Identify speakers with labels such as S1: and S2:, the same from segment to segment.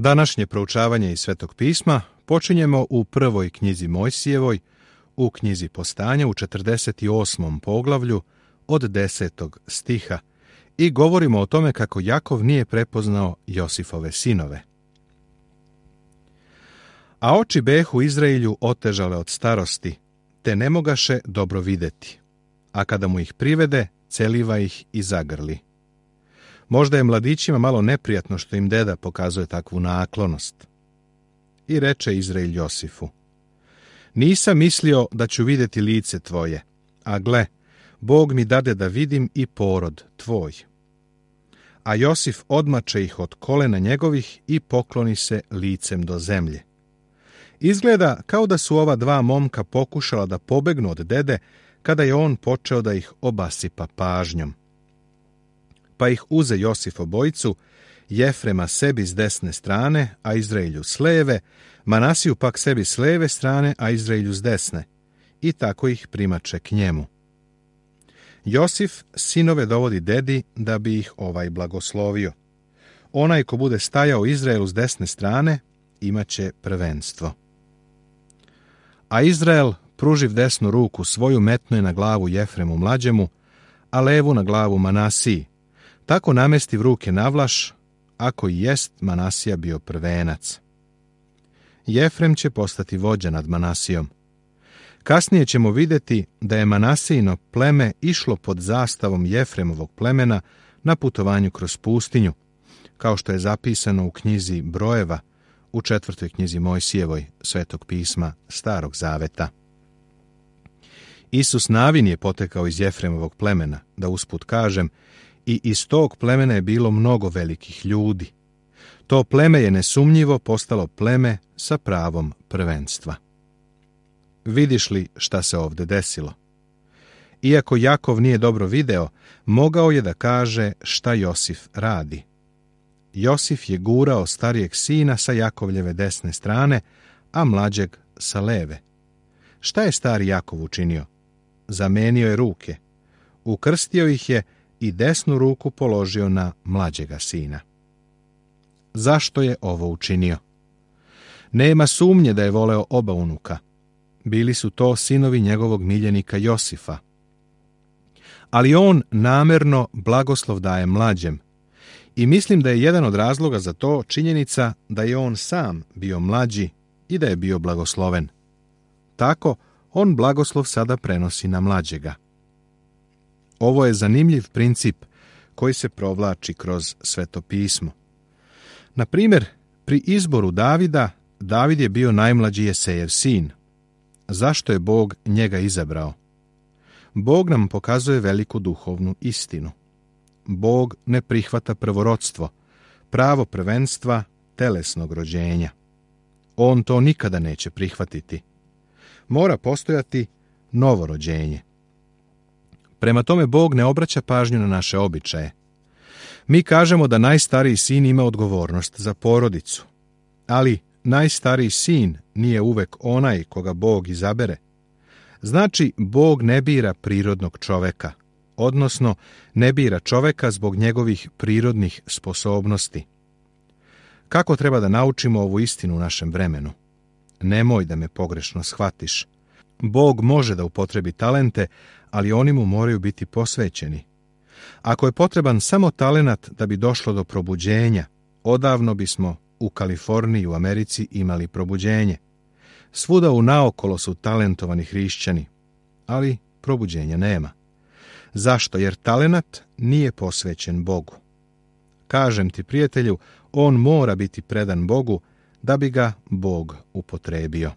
S1: Današnje proučavanje iz Svetog pisma počinjemo u prvoj knjizi Mojsijevoj, u knjizi Postanja u 48. poglavlju od 10. stiha i govorimo o tome kako Jakov nije prepoznao Josifove sinove. A oči behu Izraelju otežale od starosti, te ne mogaše dobro videti, a kada mu ih privede, celiva ih i zagrli. Možda je mladićima malo neprijatno što im deda pokazuje takvu naklonost. I reče Izrael Josifu: nisam mislio da ću vidjeti lice tvoje, a gle, Bog mi dade da vidim i porod tvoj. A Josif odmače ih od kolena njegovih i pokloni se licem do zemlje. Izgleda kao da su ova dva momka pokušala da pobegnu od dede kada je on počeo da ih obasipa pažnjom. Pa ih uze Josif obojicu, Jefrema sebi s desne strane, a Izraelju s leve, Manasiju pak sebi s leve strane, a Izraelju s desne, i tako ih primače k njemu. Josif sinove dovodi dedi da bi ih ovaj blagoslovio. Onaj ko bude stajao Izraelu s desne strane, imaće prvenstvo. A Izrael, pruživ desnu ruku svoju, metno je na glavu Jefremu mlađemu, a levu na glavu Manasiji. Tako namestiv ruke navlaš, ako i jest Manasija bio prvenac. Jefrem će postati vođa nad Manasijom. Kasnije ćemo vidjeti da je Manasijino pleme išlo pod zastavom Jefremovog plemena na putovanju kroz pustinju, kao što je zapisano u knjizi Brojeva, u 4. knjizi Mojsijevoj, Svetog pisma Starog zaveta. Isus Navin je potekao iz Jefremovog plemena, da usput kažem, i iz tog plemena je bilo mnogo velikih ljudi. To pleme je nesumnjivo postalo pleme sa pravom prvenstva. Vidiš li šta se ovdje desilo? Iako Jakov nije dobro video, mogao je da kaže šta Josif radi. Josif je gurao starijeg sina sa Jakovljeve desne strane, a mlađeg sa leve. Šta je stari Jakov učinio? Zamenio je ruke, ukrstio ih je i desnu ruku položio na mlađega sina. Zašto je ovo učinio? Nema sumnje da je voleo oba unuka. Bili su to sinovi njegovog miljenika Josifa. Ali on namerno blagoslov daje mlađem. I mislim da je jedan od razloga za to činjenica da je on sam bio mlađi i da je bio blagosloven. Tako, on blagoslov sada prenosi na mlađega. Ovo je zanimljiv princip koji se provlači kroz Sveto pismo. Na primjer, pri izboru Davida, David je bio najmlađi Jesejev sin. Zašto je Bog njega izabrao? Bog nam pokazuje veliku duhovnu istinu. Bog ne prihvata prvorodstvo, pravo prvenstva telesnog rođenja. On to nikada neće prihvatiti. Mora postojati novo rođenje. Prema tome Bog ne obraća pažnju na naše običaje. Mi kažemo da najstariji sin ima odgovornost za porodicu, ali najstariji sin nije uvek onaj koga Bog izabere. Znači, Bog ne bira prirodnog čoveka, odnosno ne bira čoveka zbog njegovih prirodnih sposobnosti. Kako treba da naučimo ovu istinu u našem vremenu? Nemoj da me pogrešno shvatiš. Bog može da upotrebi talente, ali oni mu moraju biti posvećeni. Ako je potreban samo talenat da bi došlo do probuđenja, odavno bismo u Kaliforniji i u Americi imali probuđenje. Svuda unaokolo su talentovani hrišćani, ali probuđenja nema. Zašto? Jer talenat nije posvećen Bogu. Kažem ti, prijatelju, on mora biti predan Bogu da bi ga Bog upotrebio.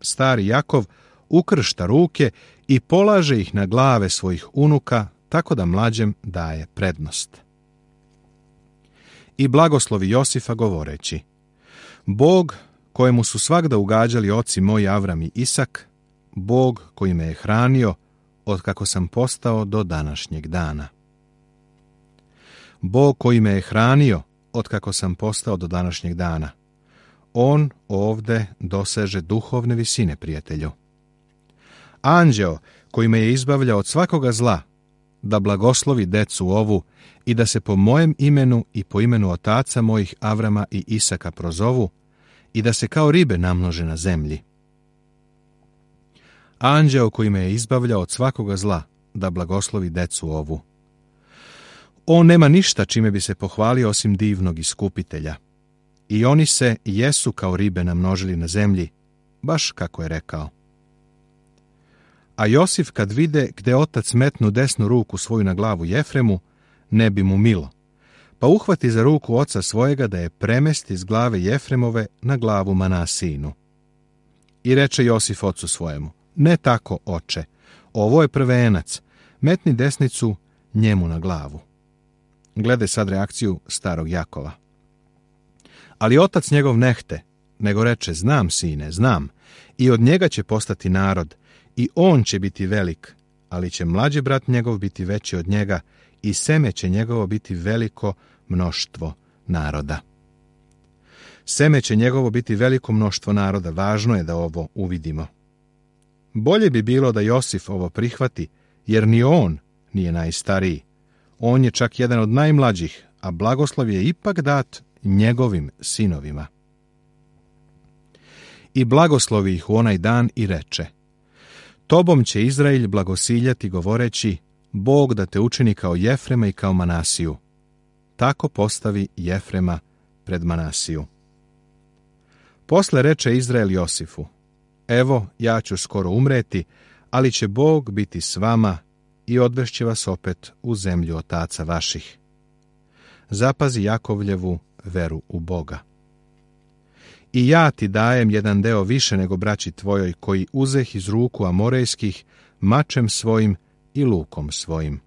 S1: Stari Jakov ukršta ruke i polaže ih na glave svojih unuka, tako da mlađem daje prednost. I blagoslovi Josifa govoreći: Bog kojemu su svagda ugađali oci moji Avram i Isak, Bog koji me je hranio od kako sam postao do današnjeg dana. Bog koji me je hranio od kako sam postao do današnjeg dana. On ovde doseže duhovne visine, prijatelju. Anđeo koji me je izbavljao od svakoga zla, da blagoslovi decu ovu i da se po mojem imenu i po imenu otaca mojih Avrama i Isaka prozovu i da se kao ribe namnože na zemlji. Anđeo koji me je izbavljao od svakoga zla, da blagoslovi decu ovu. On nema ništa čime bi se pohvalio osim divnog iskupitelja. I oni se jesu kao ribe namnožili na zemlji, baš kako je rekao. A Josif kad vide gde otac metnu desnu ruku svoju na glavu Jefremu, ne bi mu milo, pa uhvati za ruku oca svojega da je premesti s glave Jefremove na glavu Manasijinu. I reče Josif ocu svojemu, ne tako, oče, ovo je prvenac, metni desnicu njemu na glavu. Gledaj sad reakciju starog Jakova. Ali otac njegov nehte, nego reče, znam, sine, znam, i od njega će postati narod, i on će biti velik, ali će mlađi brat njegov biti veći od njega, i seme će njegovo biti veliko mnoštvo naroda. Seme će njegovo biti veliko mnoštvo naroda, važno je da ovo uvidimo. Bolje bi bilo da Josif ovo prihvati, jer ni on nije najstariji. On je čak jedan od najmlađih, a blagoslov je ipak dat njegovim sinovima. I blagoslovi ih u onaj dan i reče, tobom će Izrael blagosiljati govoreći, Bog da te učini kao Jefrema i kao Manasiju. Tako postavi Jefrema pred Manasiju. Posle reče Izrael Josifu, evo, ja ću skoro umreti, ali će Bog biti s vama i odvešće vas opet u zemlju otaca vaših. Zapazi Jakovljevu veru u Boga. I ja ti dajem jedan deo više nego braći tvojoj, koji uzeh iz ruku Amorejskih, mačem svojim i lukom svojim.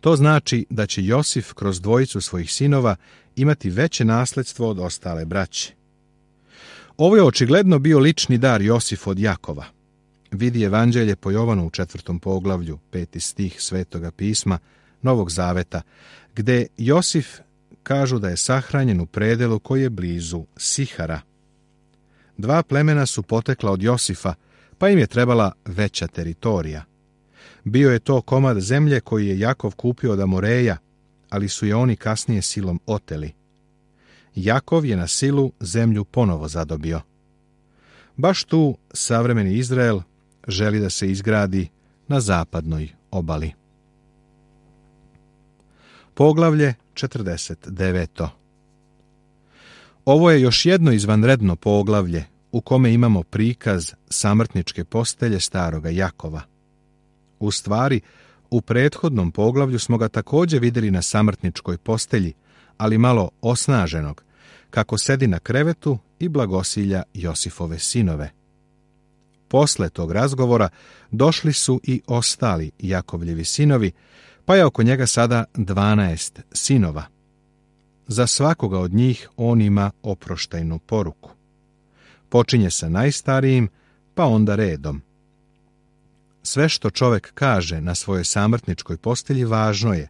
S1: To znači da će Josif kroz dvojicu svojih sinova imati veće nasledstvo od ostale braće. Ovo je očigledno bio lični dar Josifu od Jakova. Vidi Evanđelje po Jovanu u 4. poglavlju, 5. stih Svetoga pisma, Novog zaveta, gde Josif kažu da je sahranjen u predelu koji je blizu Sihara. 2 plemena su potekla od Josifa, pa im je trebala veća teritorija. Bio je to komad zemlje koji je Jakov kupio od Amoreja, ali su je oni kasnije silom oteli. Jakov je na silu zemlju ponovo zadobio. Baš tu savremeni Izrael želi da se izgradi na zapadnoj obali. Poglavlje 49. Ovo je još jedno izvanredno poglavlje u kome imamo prikaz samrtničke postelje staroga Jakova. U stvari, u prethodnom poglavlju smo ga također vidjeli na samrtničkoj postelji, ali malo osnaženog, kako sedi na krevetu i blagosilja Josifove sinove. Posle tog razgovora došli su i ostali Jakovljevi sinovi, pa je oko njega sada 12 sinova. Za svakoga od njih on ima oproštajnu poruku. Počinje sa najstarijim, pa onda redom. Sve što čovjek kaže na svojoj samrtničkoj postelji važno je,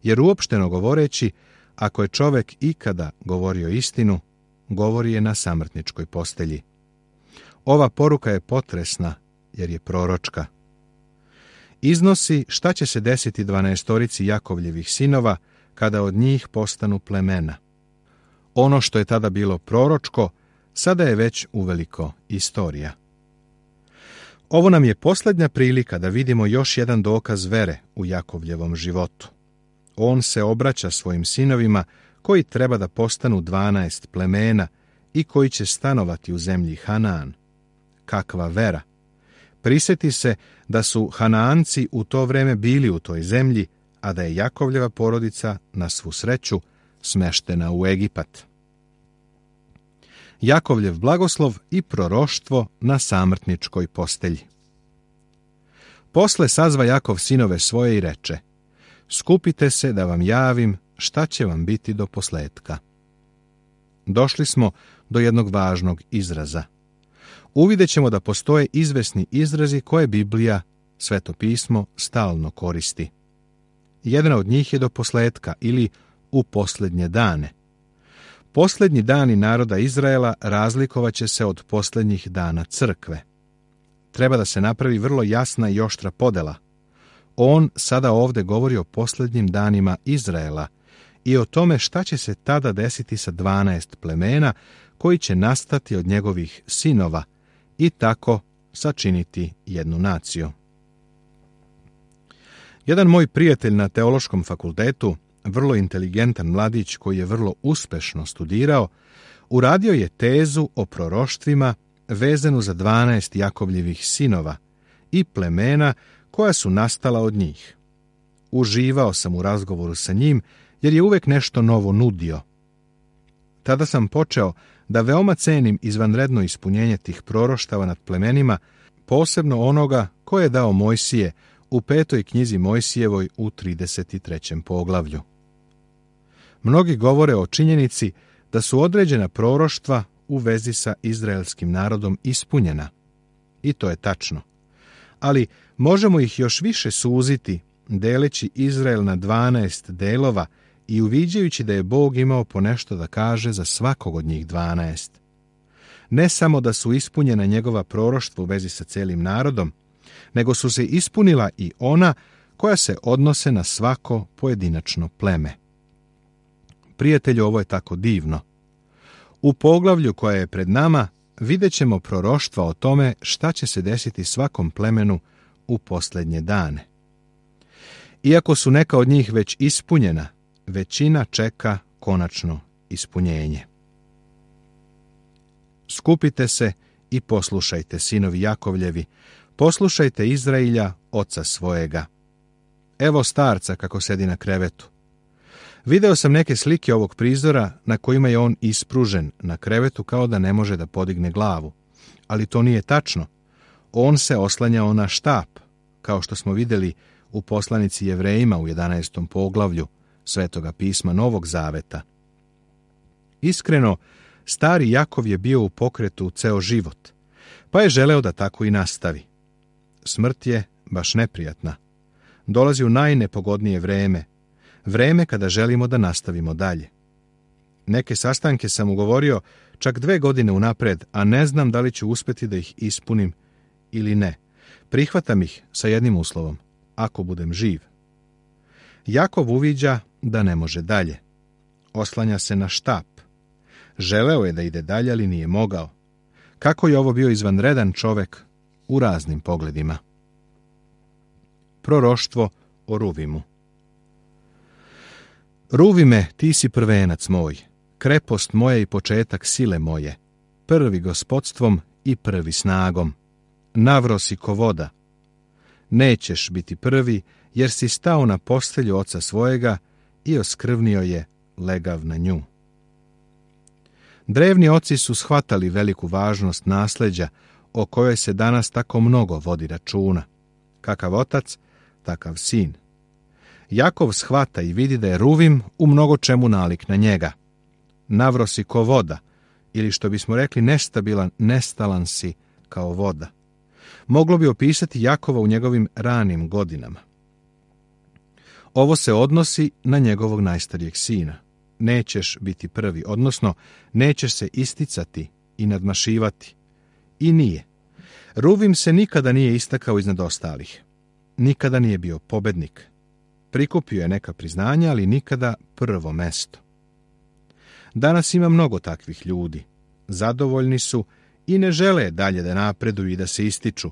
S1: jer uopšteno govoreći, ako je čovjek ikada govorio istinu, govori je na samrtničkoj postelji. Ova poruka je potresna, jer je proročka. Iznosi šta će se desiti 12 Jakovljevih sinova kada od njih postanu plemena. Ono što je tada bilo proročko, sada je već uveliko istorija. Ovo nam je posljednja prilika da vidimo još jedan dokaz vere u Jakovljevom životu. On se obraća svojim sinovima koji treba da postanu 12 plemena i koji će stanovati u zemlji Hanaan. Kakva vera! Prisjeti se da su Hanaanci u to vreme bili u toj zemlji, a da je Jakovljeva porodica, na svu sreću, smeštena u Egipat. Jakovljev blagoslov i proroštvo na samrtničkoj postelji. Posle sazva Jakov sinove svoje i reče, skupite se da vam javim šta će vam biti do posletka. Došli smo do jednog važnog izraza. Uvidjet ćemo da postoje izvesni izrazi koje Biblija, Sveto pismo, stalno koristi. Jedan od njih je do posletka ili u posljednje dane. Posljednji dani naroda Izraela razlikovat će se od posljednjih dana crkve. Treba da se napravi vrlo jasna i oštra podela. On sada ovdje govori o posljednjim danima Izraela i o tome šta će se tada desiti sa 12 plemena koji će nastati od njegovih sinova i tako sačiniti jednu naciju. Jedan moj prijatelj na teološkom fakultetu, vrlo inteligentan mladić koji je vrlo uspešno studirao, uradio je tezu o proroštvima vezanu za 12 Jakovljevih sinova i plemena koja su nastala od njih. Uživao sam u razgovoru sa njim jer je uvek nešto novo nudio. Tada sam počeo da veoma cenim izvanredno ispunjenje tih proroštava nad plemenima, posebno onoga koje je dao Mojsije u 5. knjizi Mojsijevoj u 33. poglavlju. Mnogi govore o činjenici da su određena proroštva u vezi sa izraelskim narodom ispunjena. I to je tačno. Ali možemo ih još više suziti, deleći Izrael na 12 delova i uviđajući da je Bog imao po nešto da kaže za svakog od njih 12. Ne samo da su ispunjena njegova proroštva u vezi sa celim narodom, nego su se ispunila i ona koja se odnose na svako pojedinačno pleme. Prijatelju, ovo je tako divno. U poglavlju koje je pred nama vidjet ćemo proroštva o tome šta će se desiti svakom plemenu u posljednje dane. Iako su neka od njih već ispunjena, većina čeka konačno ispunjenje. Skupite se i poslušajte, sinovi Jakovljevi, poslušajte Izrailja, oca svojega. Evo starca kako sedi na krevetu. Video sam neke slike ovog prizora na kojima je on ispružen na krevetu kao da ne može da podigne glavu. Ali to nije tačno. On se oslanjao na štap, kao što smo vidjeli u poslanici Jevrejima u 11. poglavlju Svetoga pisma Novog Zaveta. Iskreno, stari Jakov je bio u pokretu ceo život, pa je želeo da tako i nastavi. Smrt je baš neprijatna. Dolazi u najnepogodnije vreme kada želimo da nastavimo dalje. Neke sastanke sam ugovorio čak 2 godine unapred, a ne znam da li ću uspjeti da ih ispunim ili ne. Prihvatam ih sa jednim uslovom, ako budem živ. Jakov uviđa da ne može dalje. Oslanja se na štap. Želeo je da ide dalje, ali nije mogao. Kako je ovo bio izvanredan čovek u raznim pogledima. Proroštvo o Ruvimu. Ruvime, ti si prvenac moj, krepost moja i početak sile moje, prvi gospodstvom i prvi snagom. Navro si ko voda. Nećeš biti prvi, jer si stao na postelju oca svojega i oskrvnio je legav na nju. Drevni oci su shvatali veliku važnost nasleđa o kojoj se danas tako mnogo vodi računa. Kakav otac, takav sin. Jakov shvata i vidi da je Ruvim u mnogo čemu nalik na njega. Navro si ko voda, ili što bismo rekli nestabilan, nestalan si kao voda. Moglo bi opisati Jakova u njegovim ranim godinama. Ovo se odnosi na njegovog najstarijeg sina. Nećeš biti prvi, odnosno nećeš se isticati i nadmašivati. I nije. Ruvim se nikada nije istakao iznad ostalih. Nikada nije bio pobednik. Prikupio je neka priznanja, ali nikada prvo mesto. Danas ima mnogo takvih ljudi. Zadovoljni su i ne žele dalje da napreduju i da se ističu.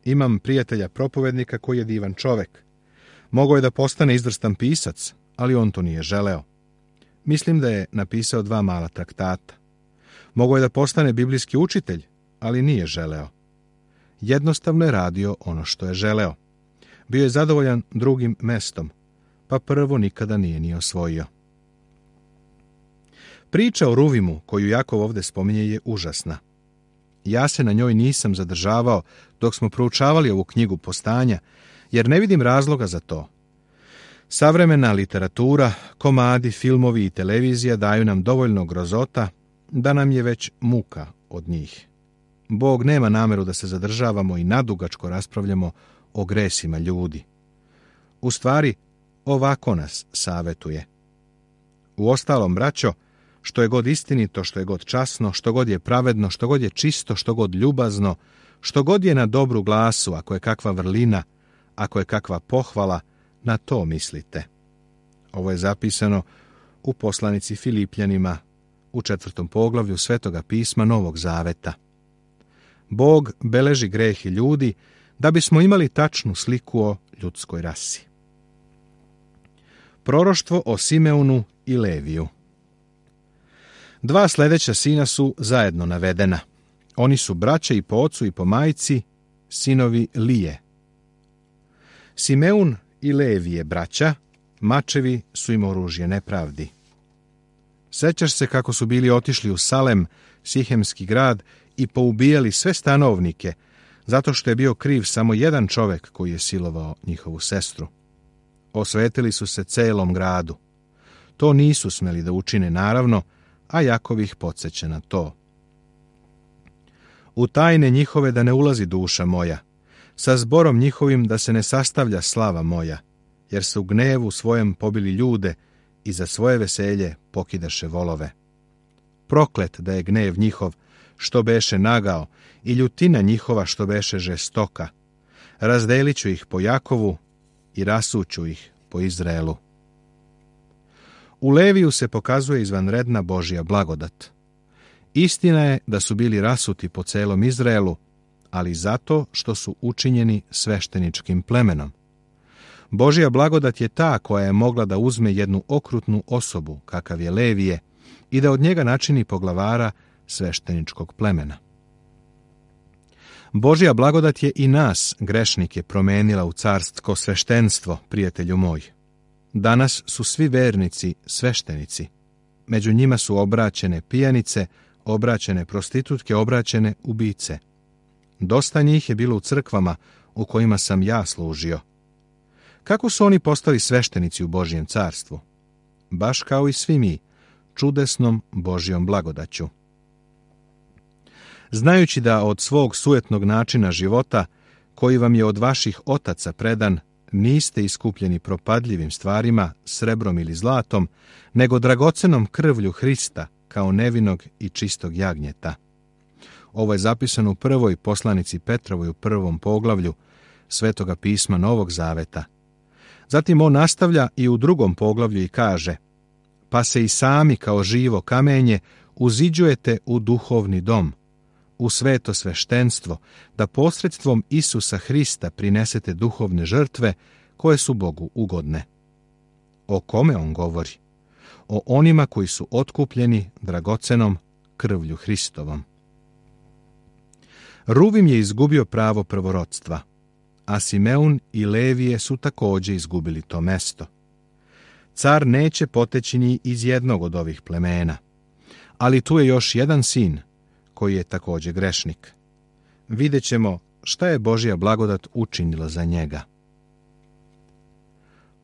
S1: Imam prijatelja propovednika koji je divan čovek. Mogao je da postane izvrstan pisac, ali on to nije želeo. Mislim da je napisao 2 mala traktata. Mogao je da postane biblijski učitelj, ali nije želeo. Jednostavno je radio ono što je želeo. Bio je zadovoljan drugim mestom, pa prvo nikada nije ni osvojio. Priča o Ruvimu, koju Jakov ovdje spominje, je užasna. Ja se na njoj nisam zadržavao dok smo proučavali ovu knjigu Postanja, jer ne vidim razloga za to. Savremena literatura, komadi, filmovi i televizija daju nam dovoljno grozota da nam je već muka od njih. Bog nema nameru da se zadržavamo i nadugačko raspravljamo o gresima ljudi. U stvari, ovako nas savetuje. Uostalom, braćo, što je god istinito, što je god časno, što god je pravedno, što god je čisto, što god ljubazno, što god je na dobru glasu, ako je kakva vrlina, ako je kakva pohvala, na to mislite. Ovo je zapisano u poslanici Filipljanima u 4. poglavlju Svetoga pisma Novog Zaveta. Bog beleži grehi ljudi da bismo imali tačnu sliku o ljudskoj rasi. Proroštvo o Simeonu i Leviju. Dva sljedeća sina su zajedno navedena. Oni su braća i po ocu i po majci, sinovi Lije. Simeun i Levije braća, mačevi su im oružje nepravdi. Sećaš se kako su bili otišli u Salem, Sihemski grad, i poubijali sve stanovnike, zato što je bio kriv samo jedan čovjek koji je silovao njihovu sestru. Osvetili su se celom gradu. To nisu smeli da učine, naravno, a Jakov ih podsjeća na to. U tajne njihove da ne ulazi duša moja, sa zborom njihovim da se ne sastavlja slava moja, jer su u gnevu svojem pobili ljude i za svoje veselje pokidaše volove. Proklet da je gnev njihov, što beše nagao, i ljutina njihova što beše žestoka. Razdelit ću ih po Jakovu i rasuću ih po Izraelu. U Leviju se pokazuje izvanredna Božja blagodat. Istina je da su bili rasuti po celom Izraelu, ali zato što su učinjeni svešteničkim plemenom. Božja blagodat je ta koja je mogla da uzme jednu okrutnu osobu, kakav je Levije, i da od njega načini poglavara svešteničkog plemena. Božja blagodat je i nas, grešnike, promenila u carsko sveštenstvo, prijatelju moj. Danas su svi vernici sveštenici. Među njima su obraćene pijanice, obraćene prostitutke, obraćene ubice. Dosta njih je bilo u crkvama u kojima sam ja služio. Kako su oni postali sveštenici u Božjem carstvu? Baš kao i svi mi, čudesnom Božjom blagodaću. Znajući da od svog sujetnog načina života, koji vam je od vaših otaca predan, niste iskupljeni propadljivim stvarima, srebrom ili zlatom, nego dragocenom krvlju Hrista, kao nevinog i čistog jagnjeta. Ovo je zapisano u prvoj poslanici Petrovoj u 1. poglavlju Svetoga pisma Novog Zaveta. Zatim on nastavlja i u 2. poglavlju i kaže: pa se i sami kao živo kamenje uziđujete u duhovni dom, u sveto sveštenstvo, da posredstvom Isusa Hrista prinesete duhovne žrtve koje su Bogu ugodne. O kome on govori? O onima koji su otkupljeni dragocenom krvlju Hristovom. Ruvim je izgubio pravo prvorodstva, a Simeun i Levije su također izgubili to mesto. Car neće poteći ni iz jednog od ovih plemena, ali tu je još jedan sin koji je također grešnik. Vidjet ćemo šta je Božja blagodat učinila za njega.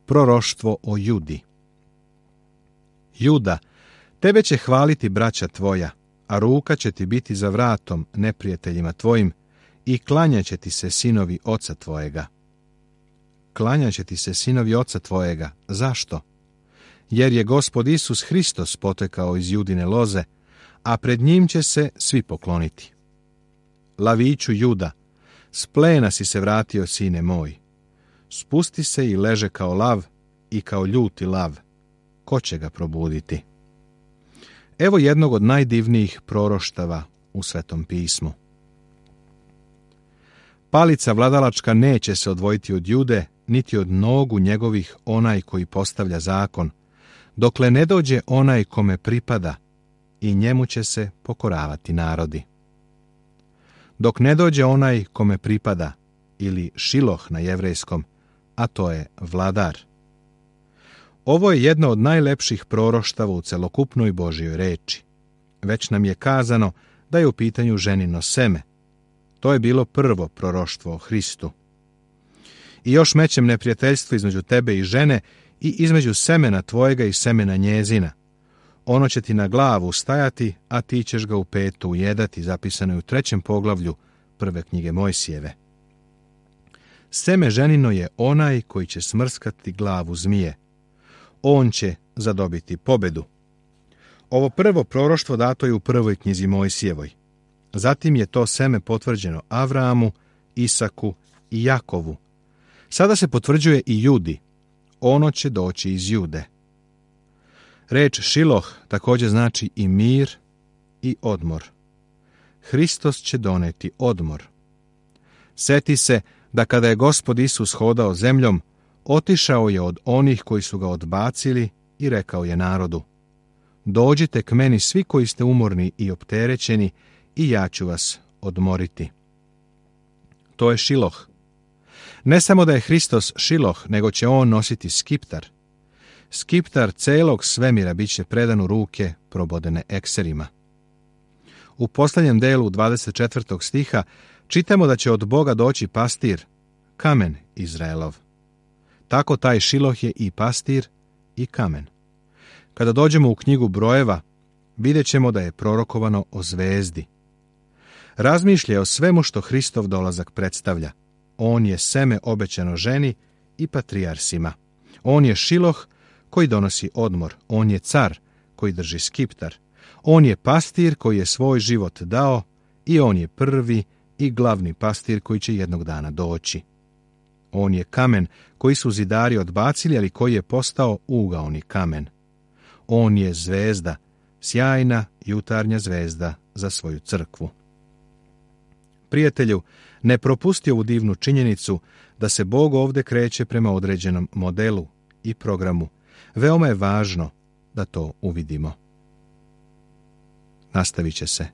S1: Proroštvo o Judi. Juda, tebe će hvaliti braća tvoja, a ruka će ti biti za vratom neprijateljima tvojim i klanjaće ti se sinovi oca tvojega. Klanjaće ti se sinovi oca tvojega. Zašto? Jer je Gospod Isus Hristos potekao iz Judine loze, a pred njim će se svi pokloniti. Laviću Juda, s plena si se vratio, sine moj. Spusti se i leže kao lav i kao ljuti lav. Ko će ga probuditi? Evo jednog od najdivnijih proroštava u Svetom pismu. Palica vladalačka neće se odvojiti od Jude, niti od nogu njegovih onaj koji postavlja zakon, dokle ne dođe onaj kome pripada, i njemu će se pokoravati narodi. Dok ne dođe onaj kome pripada, ili Šiloh na jevrejskom, a to je vladar. Ovo je jedno od najlepših proroštava u celokupnoj Božjoj reči. Već nam je kazano da je u pitanju ženino seme. To je bilo prvo proroštvo o Hristu. I još mećem neprijateljstvo između tebe i žene i između semena tvojega i semena njezina. Ono će ti na glavu stajati, a ti ćeš ga u petu ujedati, zapisano je u 3. poglavlju 1. knjige Mojsijeve. Seme ženino je onaj koji će smrskati glavu zmije. On će zadobiti pobedu. Ovo prvo proroštvo dato je u 1. knjizi Mojsijevoj. Zatim je to seme potvrđeno Avramu, Isaku i Jakovu. Sada se potvrđuje i Judi. Ono će doći iz Jude. Reč Šiloh također znači i mir i odmor. Hristos će doneti odmor. Seti se da kada je Gospod Isus hodao zemljom, otišao je od onih koji su ga odbacili i rekao je narodu: dođite k meni svi koji ste umorni i opterećeni i ja ću vas odmoriti. To je Šiloh. Ne samo da je Hristos Šiloh, nego će on nositi skiptar. Skiptar celog svemira bit će predan u ruke probodene ekserima. U posljednjem delu 24. stiha čitamo da će od Boga doći pastir, kamen Izraelov. Tako taj Šiloh je i pastir i kamen. Kada dođemo u knjigu Brojeva, vidjet ćemo da je prorokovano o zvezdi. Razmišlja o svemu što Hristov dolazak predstavlja. On je seme obećano ženi i patrijarsima. On je Šiloh koji donosi odmor. On je car koji drži skiptar. On je pastir koji je svoj život dao i on je prvi i glavni pastir koji će jednog dana doći. On je kamen koji su zidari odbacili, ali koji je postao ugaoni kamen. On je zvezda, sjajna jutarnja zvezda za svoju crkvu. Prijatelju, ne propusti ovu divnu činjenicu da se Bog ovdje kreće prema određenom modelu i programu. Veoma je važno da to uvidimo. Nastavit će se